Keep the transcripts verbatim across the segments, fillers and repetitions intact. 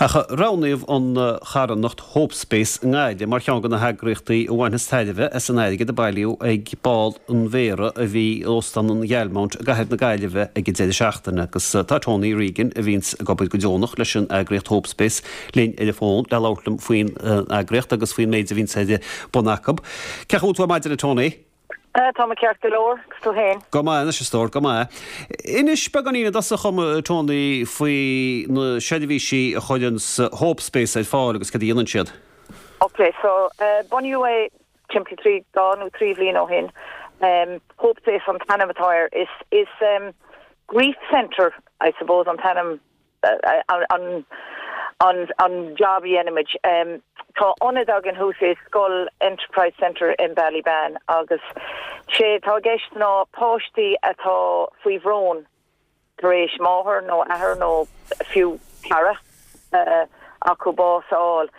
Ach roghnaíodh an charthanacht Hope Space i nGaillimh mar cheann de na heagraíochtaí a bhainfeas tairbhe as an airgead a bailíodh ag bál an mhéara a bhí in Óstán an Ghalmount i gcathair na Gaillimhe ag an deireadh seachtaine agus tá Tony Regan a bhíonns ag obair go deonach leis an eagraíocht Hope Space linn ar an bhfón le labhairt liom faoin eagraíocht agus faoin méid a bhíonns ar bun acu. Cén chaoi a bhfuil tú ar maidin a Tony? Tá mé ceart go leor agus tú féin. Go maith anois a stór go maith. Inis beagáinín i dtosach dom Tony faoi na seirbhísí a chuireann Hope Space ar fáil agus cad a dhéanann siad. Ok, so uh, bunaíodh é timpeall trí dhá nó trí bhliain ó shin. Um, Hope Space an t-ainm atá air is is um, grief center I suppose an t-ainm uh, an an an job dhéanaimid. Um, tá ionad againn thuas i Scoil Enterprise Center in Ballybane agus sé tá gceist ná páistí atá faoi bhrón tar éis máthair nó athair nó fiú cara uh, acu bás a fháil.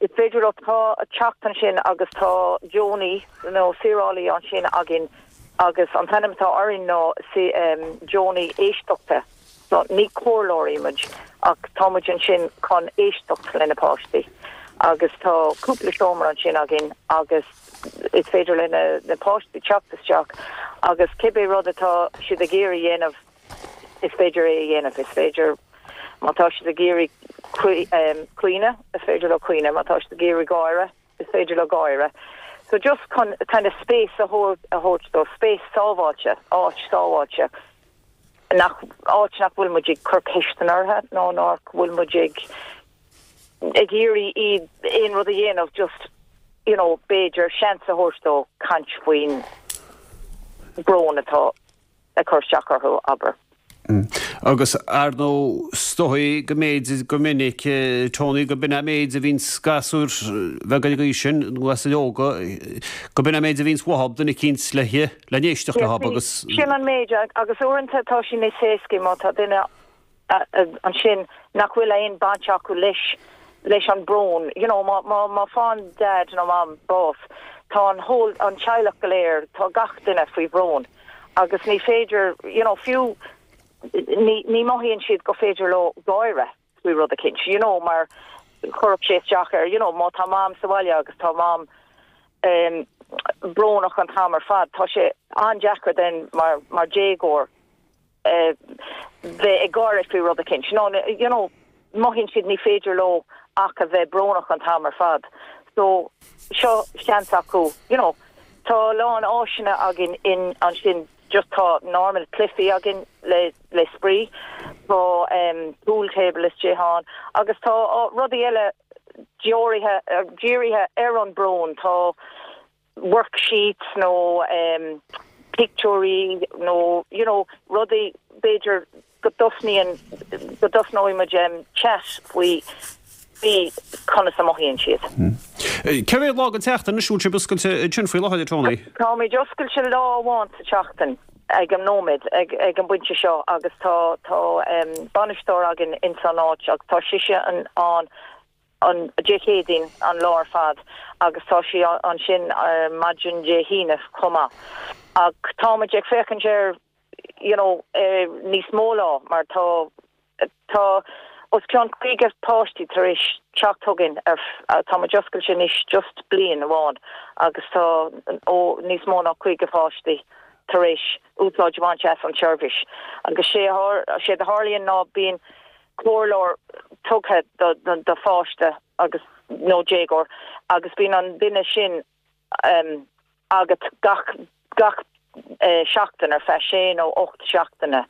Is féidir leo tá teacht ansin agus tá deonaí nó saorálaí ansin againn agus an t-ainm atá orainn ná si um, deonaí éisteachta. So ní comhairleoirí muid ach táimid ansin chun éisteacht le na páistí. agus tá cúpla seomra ansin againn agus is féidir le na, na páistí teacht isteach agus cibé rud atá siad ag iarraidh dhéanamh is féidir é a dhéanamh is féidir má tá siad ag iarraidh caoineadh is féidir leo caoineadh má tá siad ag iarraidh gáire is féidir leo gáire. So just chun kind of space a thabhairt dó space sábháilte áit sábháilte nach áit nach bhfuil muid ag cur ceisteanna orthu nó nach bhfuil muid ag ag iarraidh iad aon rud a dhéanamh just you know b'fhéidir seans a thabhairt dó caint faoin brón atá ag cur isteach orthu abair. Mm. Agus ar ndóigh is dóigh go mb'fhéidir go minic Tony go b'in an méid a bhíonns gasúir bheaga ag an aois sin nó gasúir óga go b'in an méid a bhíonns uathu duine eicínt le le n-éisteacht leo agus sin an méid agus uaireanta tá sé níos éasca má tá duine ansin nach bhfuil aon baint acu leis leis an brón you know má má má faigheann dad nó mam bás tá an whole an teaghlach go léir tá gach duine faoi bhrón agus ní féidir you know fiú ní ní mothaíonn siad go féidir leo gáire faoi rud eicínt you know mar chuirfeadh sé isteach ar you know má tá mam sa bhaile agus tá mam um, brónach an t-am ar fad tá sé an-deacair den mar mar déagóir uh, bheith ag gáire faoi rud eicínt no you know mothaíonn siad ní féidir leo ach a bheith brónach an t-am ar fad so seo seans acu you know tá lán áiseanna againn in ansin just tá normal cluichí againn le le spraoi tá um, pool table istigh ann agus tá uh, rudaí eile dírithe uh, dírithe ar an brón tá worksheets nó um, pictiúirí nó you know rudaí b'fhéidir go dtosnaíonn go dtosnóidh muid um, chat faoi faoi conas a mothaíonn siad. Hmm. Cé mhéad lá den tseachtain a bhfuil sibh oscailte ansin faoi láthair Tony? Táimid oscailte lá amháin sa tseachtain ag an nóiméad ag, ag an bpointe seo agus tá tá um, bainisteoir againn in san áit agus tá sise an an an Dé Céadaoin an lá ar fad agus tá sí ansin uh, maidin Dé hAoine chomh maith. Ach táimid ag féachaint ar you know, uh, níos mó lá mar tá tá os cionn caoga páistí tar éis teacht chugainn ar tá muid oscailte anois just bliain amháin agus tá ó níos mó ná caoga páistí tar éis úsáid a bhaint as an tseirbhís. agus sé sé a tharlaíonn ná bíonn comhairleoir tugtha do, do, do pháiste agus nó déagóir agus bíonn an duine sin um, agat gach gach uh, seachtain ar feadh sé nó ocht seachtaine.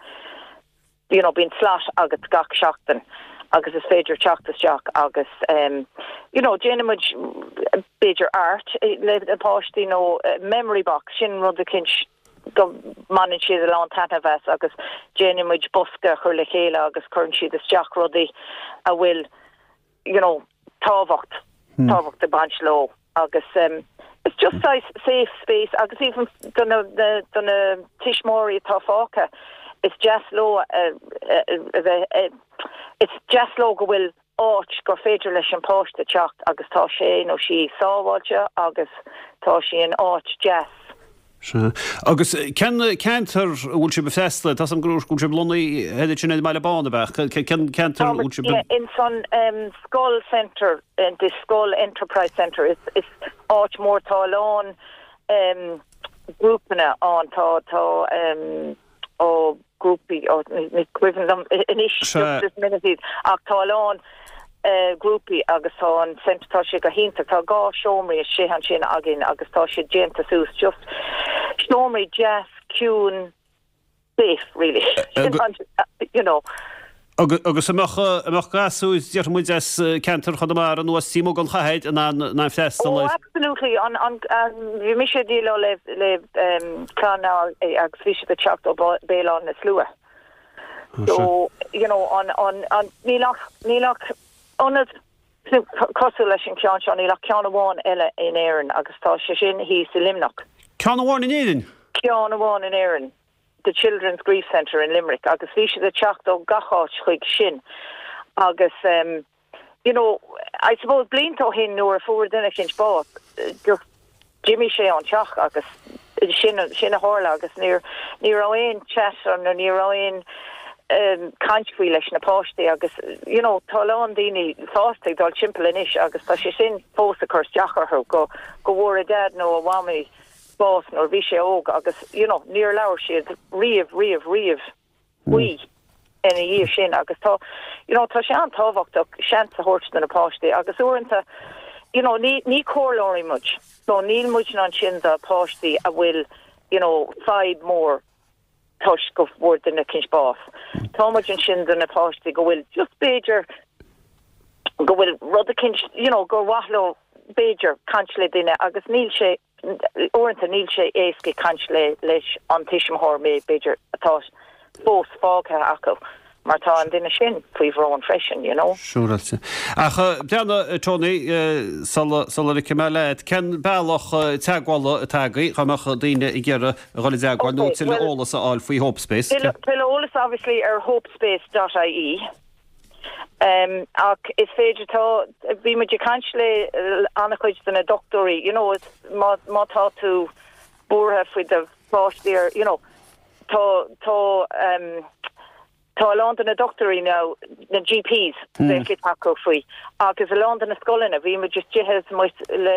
You know, bíonn slot agat gach seachtain agus is féidir teacht isteach agus um, you know, déanaimid b'fhéidir art le na páistí nó uh, memory box sin rud eicínt go mbaineann siad a lán taitneamh as agus déanaimid bosca chur le chéile agus cuireann siad isteach rudaí a bhfuil you know, tábhacht hmm. tábhacht ag baint leo agus um, it's just safe safe space agus even do na do na tuismitheoirí atá fágtha is deas leo uh, uh, uh, it's deas leo go bhfuil áit gur féidir leis an páiste teacht agus tá sé nó sí sábháilte agus tá sí in áit deas. Sea. Agus cén ceantar a bhfuil sibh ag freastal air? Tá 's agam go bhfuil sibh lonnaithe ansin ar an mBaile Bán, ab ea? Cén ceantar a bhfuil sibh? Yeah, ins an Scoil Centre, the Scoil Enterprise Centre, is is áit mór, tá a lán grúpanna ann, tá tá ó grúpaí, ó ní cuimhin liom anois just this minute iad, ach tá a lán grúpaí agus tá an centre, tá sé go hiontach, tá dhá seomraí istigh ansin againn agus tá siad déanta suas just seomraí deas ciúin safe really you know. Agus an mbeadh, an mbeadh gasúir, déarfaidh muid as ceantar Chonamara nó as taobh amuigh den chathair in ann, in ann freastal Oh absolutely, an, an, bhí mise ag déileáil le, le clann agus bhí siad ag teacht ó Béal Átha na Slua. So, you know, an, an, an, níl ach, níl ach ionad cosúil leis an ceann seo, níl ach ceann amháin eile in Éirinn agus tá sé sin thíos i Luimneach. Ceann amháin in Éirinn? Ceann amháin in Éirinn, The Children's Grief Centre in Limerick agus bhí siad ag teacht ó gach áit chuig sin agus um, you know, I suppose blianta ó shin nuair a fuair duine eicínt bás, just d'imigh sé ón teach agus sin sin a tharla agus níor ní raibh aon chat nó ní raibh aon um, caint faoi leis na páistí agus you know, tá a lán daoine fásta ag dul timpeall anois agus tá sé sin fós ag cur isteach orthu go go bhfuair a dad nó a mhamaí bás nuair bhí sé óg agus you know, níor labhair siad riamh riamh riamh faoi ina dhiaidh sin agus tá you know, tá sé an-tábhachtach seans a thabhairt do na páistí agus uaireanta you know, ní, ní comhairleoirí muid. So níl muid ansin do páistí a bhfuil you know, fadhb mór toisc go bhfuair duine eicínt bás. Tá muid ansin do na páistí go bhfuil just b'fhéidir go bhfuil rud eicínt you know, gur mhaith leo b'fhéidir caint le duine agus níl sé uaireanta níl sé éasca caint le leis an tuismitheoir mé b'fhéidir atá fós fágtha acu mar tá an duine sin faoi bhrón freisin, you know. Siúráilte. Ach breathnaigh, Tony, sula sula ligfidh mé leat, cén bealach teagmhála atá agaibh dá mbeadh daoine ag iarraidh a dhul i dteagmháil nó tuilleadh eolas a fháil faoi Hope Space? Tuilleadh eolas obviously ar hopespace.ie. Um, ach is féidir tá bhí muid ag caint le an-chuid de na dochtúirí, you know, is má má tá tú buartha faoi do pháistí ar, you know, tá tá um, tá a lán de na dochtúirí nó na GPs mm. acu faoi agus a lán de na scoileanna bhí muid just tithe le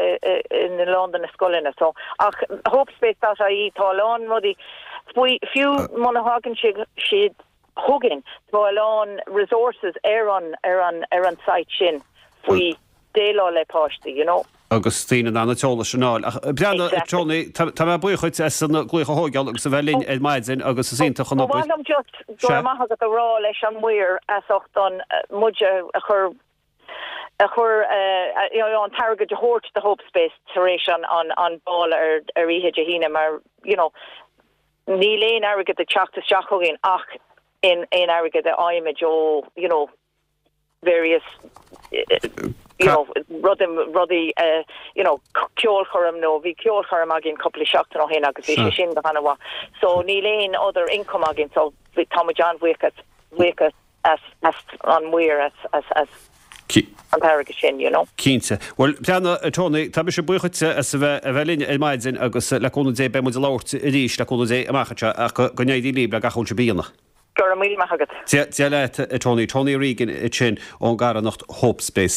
in a lán de na scoileanna so ach hopespace.ie tá a lán rudaí faoi fiú muna thagann siad siad chugainn tá a lán resources ar an ar an ar an site sin faoi déileáil le páistí you know. agus daoine in ann an t-eolas sin a fháil. Ach breathnaigh Tony, tá mé buíoch duit as an glaoch a thógáil agus a bheith linn ar maidin agus is iontach an obair. Ba mhaith liom just go raibh maith agat a rá leis an maor as ucht an muid a chur a chur an t-airgead a thabhairt do Hope Space tar éis an an an ball ar ar oíche Dé hAoine mar you know, níl aon airgead ag teacht isteach chugainn ach in aon airgead a fhaighimid ó you know, various you know rudaí rudaí uh, you know ceolchoirm nó bhí ceolchoirm againn cúpla seachtain ó shin agus bhí sé sin go han-mhaith so níl aon other income againn so tá muid an-bhuíoch buíoch as as an maor as as as an t-airgead sin you know. Cinnte. Well breathnaigh Tony, tá mise buíoch duit as a bheith a bheith linn ar maidin agus le cúnamh Dé beidh muid ag labhairt arís le cúnamh Dé amach anseo ach go n-éirí libh le gach a bhfuil sibh a dhéanamh. Go raibh míle maith agat. Dia leat Tony, Tony Regan ansin ón gcarthanacht Hope Space.